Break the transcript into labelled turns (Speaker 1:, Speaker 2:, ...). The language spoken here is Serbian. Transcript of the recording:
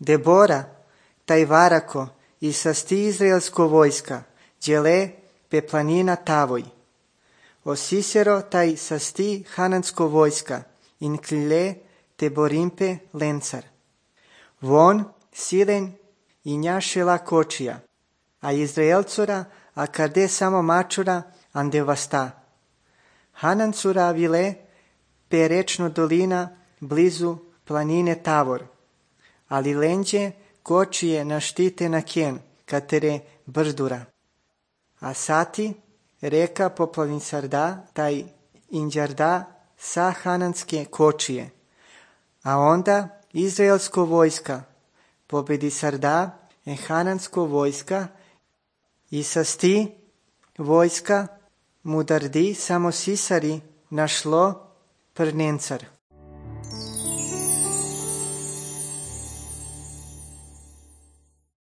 Speaker 1: Debora, taj varako, i sasti izraelsko vojska, đele pe planina Tavoj. O Sisero, taj sasti hanansko vojska, inklile te borimpe lencar. Von, silen i njašela kočija, a Izraelcura, a kade samo mačura, ande vasta. Hanancura vile pe rečno dolina blizu planine Tavor, ali lenđe kočije naštite na ken, katere brdura. A sati reka poplavin sarda, taj inđarda sa hananske kočije. A onda izraelsko vojska pobedi sarda hanansko vojska i sasti vojska mudardi samo sisari našlo prnencar.